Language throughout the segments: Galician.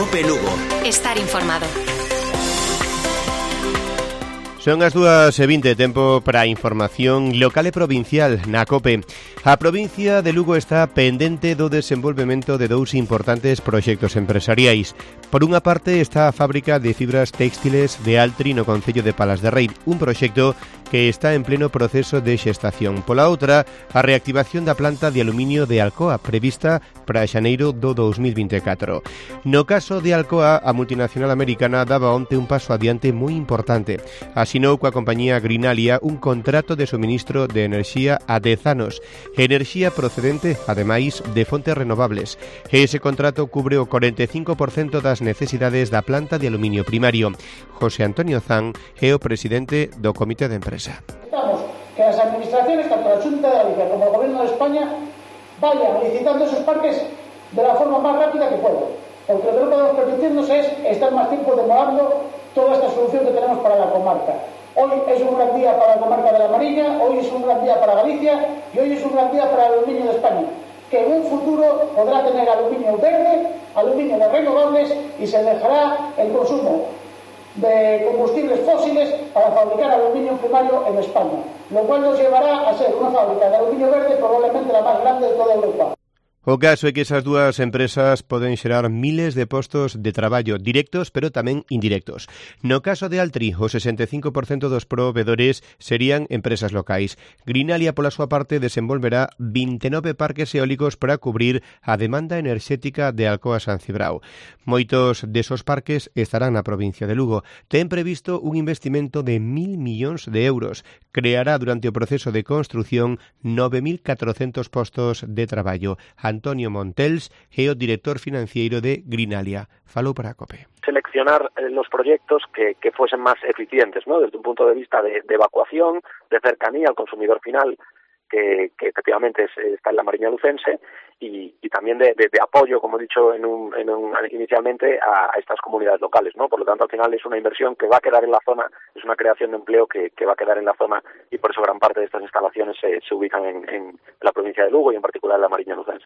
COPE Lugo. Estar informado. Son as 2:20, tempo para a información local e provincial na COPE. A provincia de Lugo está pendente do desenvolvemento de dous importantes proxectos empresariais. Por unha parte está a fábrica de fibras téxtiles de Altri no concello de Palas de Rei, un proxecto que está en pleno proceso de xestación. Pola outra, a reactivación da planta de aluminio de Alcoa, prevista para xaneiro do 2024. No caso de Alcoa, a multinacional americana daba onte un paso adiante moi importante. Asinou coa compañía Greenalia un contrato de suministro de enerxía a 10 anos, enerxía procedente, ademais, de fontes renovables. Ese contrato cubre o 45% das necesidades da planta de aluminio primario. José Antonio Zan é o presidente do Comité de Empresa. Necesitamos que las administraciones, tanto la Xunta de Galicia como el Gobierno de España, vayan licitando esos parques de la forma más rápida que puedan. Porque lo que no podemos permitirnos es estar más tiempo demorando toda esta solución que tenemos para la comarca. Hoy es un gran día para la comarca de la Mariña, hoy es un gran día para Galicia y hoy es un gran día para el aluminio de España, que en un futuro podrá tener aluminio verde, aluminio de renovables y se dejará el consumo de combustibles fósiles para fabricar aluminio primario en España, lo cual nos llevará a ser una fábrica de aluminio verde probablemente la más grande de toda Europa. O caso é que esas dúas empresas poden xerar miles de postos de traballo directos, pero tamén indirectos. No caso de Altri, o 65% dos provedores serían empresas locais. Greenalia, pola súa parte, desenvolverá 29 parques eólicos para cubrir a demanda enerxética de Alcoa San Cibrao. Moitos desos parques estarán na provincia de Lugo. Ten previsto un investimento de 1.000 millóns de euros. Creará durante o proceso de construción 9.400 postos de traballo. Antonio Montels é o director financiero de Greenalia. Falou para a COPE. Seleccionar los proyectos que fuesen más eficientes, ¿no? Desde un punto de vista de evacuación, de cercanía al consumidor final, que efectivamente está en la Mariña lucense, y también de apoyo, como he dicho inicialmente, a estas comunidades locales, ¿no? Por lo tanto, al final es una inversión que va a quedar en la zona, es una creación de empleo que va a quedar en la zona, y por eso gran parte de estas instalaciones se ubican en la provincia de Lugo y en particular en la Mariña lucense.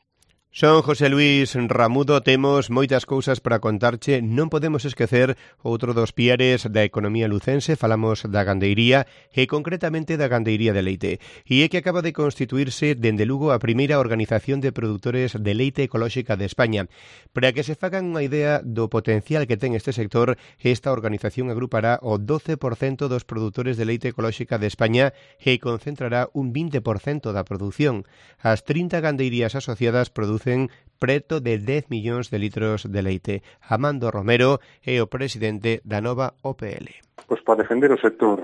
Son José Luis Ramudo, temos moitas cousas para contarche, non podemos esquecer outro dos piares da economía lucense, falamos da gandeiría e concretamente da gandeiría de leite. E é que acaba de constituirse dende Lugo a primeira organización de produtores de leite ecolóxica de España. Para que se fagan unha idea do potencial que ten este sector, esta organización agrupará o 12% dos produtores de leite ecolóxica de España e concentrará un 20% da produción. As 30 gandeirías asociadas producen preto de 10 millóns de litros de leite. Amando Romero é o presidente da nova OPL. Pois para defender o sector,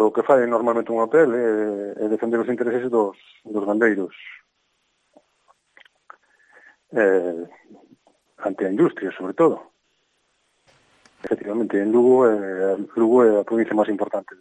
o que fai normalmente unha OPL é defender os intereses dos gandeiros ante a industria, sobre todo. Efectivamente, en Lugo é a provincia máis importante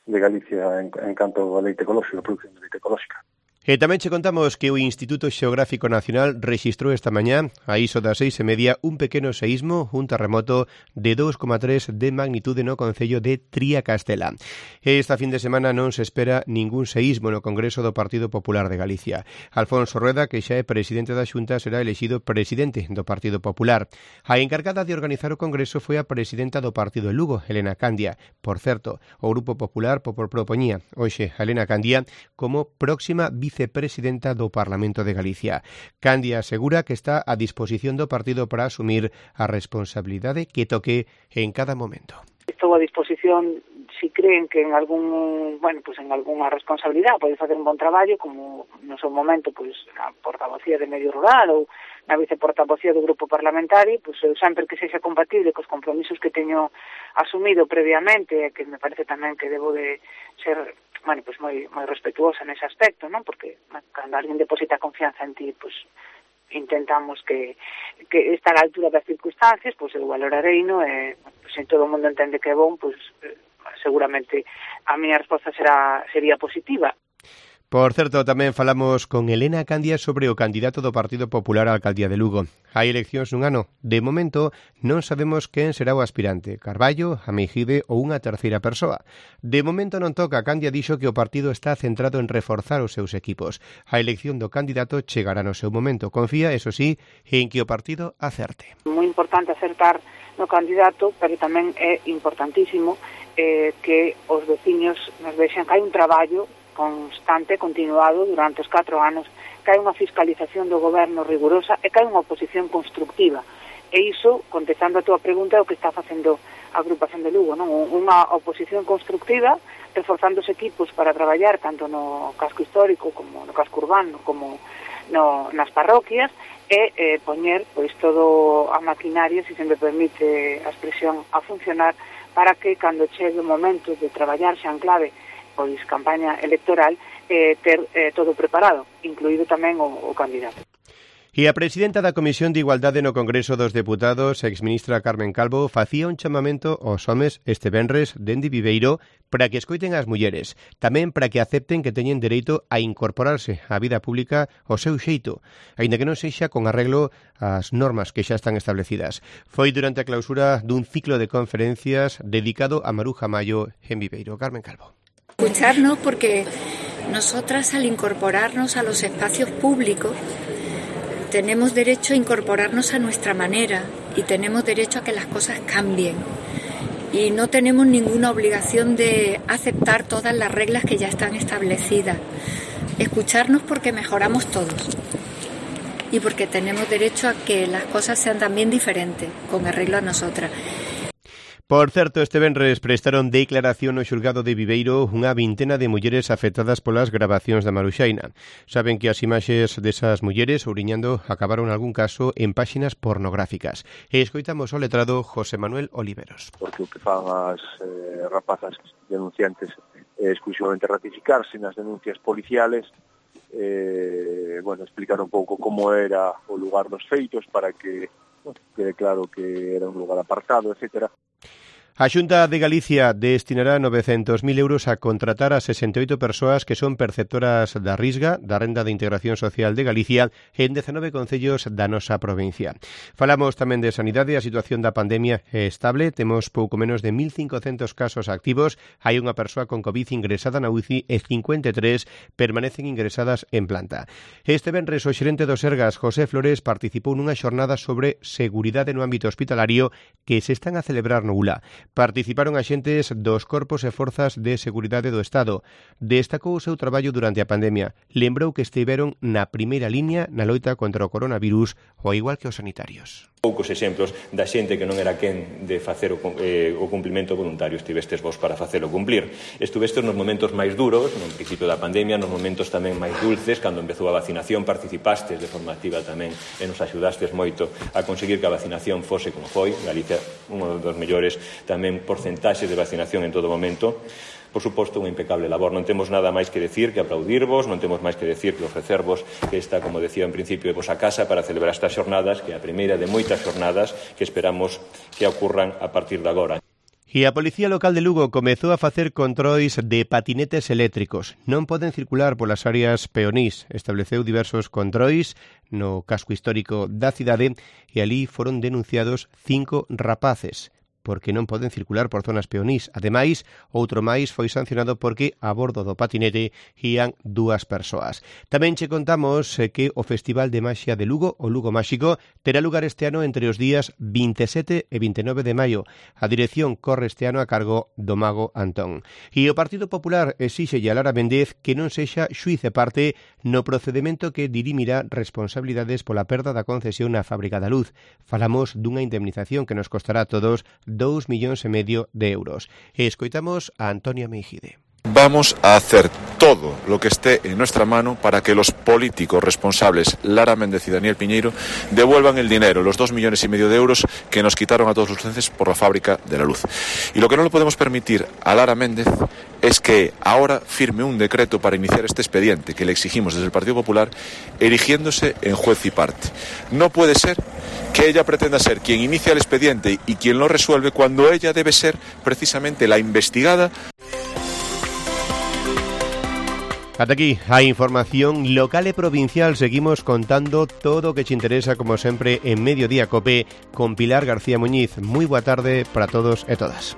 de Galicia en canto a leite ecolóxico, a produción de leite ecolóxica. E tamén che contamos que o Instituto Xeográfico Nacional rexistrou esta mañá, a iso das 6:30, un pequeno seísmo, un terremoto de 2,3 de magnitude no concello de Triacastela. Esta fin de semana non se espera ningún seísmo no Congreso do Partido Popular de Galicia. Alfonso Rueda, que xa é presidente da Xunta, será elexido presidente do Partido Popular. A encargada de organizar o Congreso foi a presidenta do Partido de Lugo, Elena Candia. Por certo, o Grupo Popular propoñía hoxe a Elena Candia como próxima vicepresidenta do Parlamento de Galicia. Candia asegura que está a disposición do partido para asumir a responsabilidade que toque en cada momento. Estou a disposición si creen que en algunha responsabilidade pode facer un bon traballo, como no seu momento a portavocía de Medio Rural ou na viceportavocía do grupo parlamentario, eu sempre que sexa compatible cos compromisos que teño asumido previamente, que me parece tamén que debo de ser moi respetuosa nese aspecto, non? Porque cando alguén deposita confianza en ti, intentamos que está a altura das circunstancias, eu valorarei, non? Se todo o mundo entende que é bon, seguramente a miña resposta sería positiva. Por certo, tamén falamos con Elena Candia sobre o candidato do Partido Popular á alcaldía de Lugo. Hai eleccións nun ano. De momento, non sabemos quen será o aspirante, Carballo, Ameixide ou unha terceira persoa. De momento non toca. Candia dixo que o partido está centrado en reforzar os seus equipos. A elección do candidato chegará no seu momento. Confía, eso sí, en que o partido acerte. Moi importante acertar no candidato, pero tamén é importantísimo que os veciños nos vexan que hai un traballo constante, continuado durante os 4 anos, que hai unha fiscalización do goberno rigurosa e que hai unha oposición constructiva. E iso, contestando a túa pregunta, é o que está facendo a agrupación de Lugo, non? Unha oposición constructiva, reforzando os equipos para traballar tanto no casco histórico como no casco urbano, como nas parroquias, e poñer pois todo a maquinaria, se me permite a expresión, a funcionar para que cando chegue o momento de traballar xa en clave pois campaña electoral, ter todo preparado, incluído tamén o candidato. E a presidenta da Comisión de Igualdade no Congreso dos Deputados, exministra Carmen Calvo, facía un chamamento aos homes este venres dende Viveiro para que escoiten as mulleres, tamén para que acepten que teñen dereito a incorporarse á vida pública ao seu xeito, aínda que non sexa con arreglo ás normas que xa están establecidas. Foi durante a clausura dun ciclo de conferencias dedicado a Maruja Mayo en Viveiro. Carmen Calvo. Escucharnos, porque nosotras al incorporarnos a los espacios públicos tenemos derecho a incorporarnos a nuestra manera y tenemos derecho a que las cosas cambien y no tenemos ninguna obligación de aceptar todas las reglas que ya están establecidas. Escucharnos porque mejoramos todos y porque tenemos derecho a que las cosas sean también diferentes, con arreglo a nosotras. Por certo, este venres prestaron declaración no xulgado de Viveiro unha vintena de mulleres afectadas polas grabacións da Maruxaina. Saben que as imaxes desas mulleres ouriñando acabaron en algún caso en páxinas pornográficas. E escoitamos o letrado José Manuel Oliveros. Porque o que fan as rapazas denunciantes é exclusivamente ratificarse nas denuncias policiales, explicar un pouco como era o lugar dos feitos para que quede claro que era un lugar apartado, etcétera. A Xunta de Galicia destinará 900.000 euros a contratar a 68 persoas que son perceptoras da Risga, da Renda de Integración Social de Galicia, en 19 concellos da nosa provincia. Falamos tamén de sanidade. A situación da pandemia é estable. Temos pouco menos de 1.500 casos activos. Hai unha persoa con COVID ingresada na UCI e 53 permanecen ingresadas en planta. Este venres o xerente do Sergas, José Flores, participou nunha xornada sobre seguridade no ámbito hospitalario que se están a celebrar no ULA. Participaron axentes dos corpos e forzas de seguridade do Estado. Destacou o seu traballo durante a pandemia. Lembrou que estiveron na primeira liña na loita contra o coronavirus, ao igual que os sanitarios. Poucos exemplos da xente que non era quen de facer o cumplimento voluntario. Estivestes vos para facelo cumplir. Estuvestes nos momentos máis duros, no principio da pandemia, nos momentos tamén máis dulces, cando empezou a vacinación, participastes de forma activa tamén e nos axudastes moito a conseguir que a vacinación fose como foi. Galicia, un dos mellores tamén porcentaxes de vacinación en todo momento. Por suposto, unha impecable labor. Non temos nada máis que decir que aplaudirvos, non temos máis que decir que ofrecervos que esta, como decía en principio, é vos a casa para celebrar estas xornadas, que é a primeira de moitas xornadas que esperamos que ocurran a partir de agora. E a Policía Local de Lugo comezou a facer controis de patinetes eléctricos. Non poden circular polas áreas peonís. Estableceu diversos controis no casco histórico da cidade e ali foron denunciados 5 rapaces porque non poden circular por zonas peonís. Ademais, outro máis foi sancionado porque a bordo do patinete ían 2 persoas. Tamén che contamos que o Festival de Maxia de Lugo, o Lugo Máxico, terá lugar este ano entre os días 27 e 29 de maio. A dirección corre este ano a cargo do mago Antón. E o Partido Popular exíxelle a Lara Méndez que non sexa xuíz e parte no procedimento que dirimirá responsabilidades pola perda da concesión na Fábrica da Luz. Falamos dunha indemnización que nos costará a todos 2,5 millóns de euros. E escoitamos a Antonia Meijide. Vamos a hacer todo lo que esté en nuestra mano para que los políticos responsables, Lara Méndez y Daniel Piñeiro, devuelvan el dinero, los 2,5 millones de euros que nos quitaron a todos los lucenses por la Fábrica de la Luz. Y lo que no le podemos permitir a Lara Méndez es que ahora firme un decreto para iniciar este expediente que le exigimos desde el Partido Popular, erigiéndose en juez y parte. No puede ser que ella pretenda ser quien inicia el expediente y quien lo resuelve cuando ella debe ser precisamente la investigada. Ata aquí a información local e provincial. Seguimos contando todo o que te interesa, como sempre, en Mediodía Cope con Pilar García Muñiz. Moi boa tarde para todos e todas.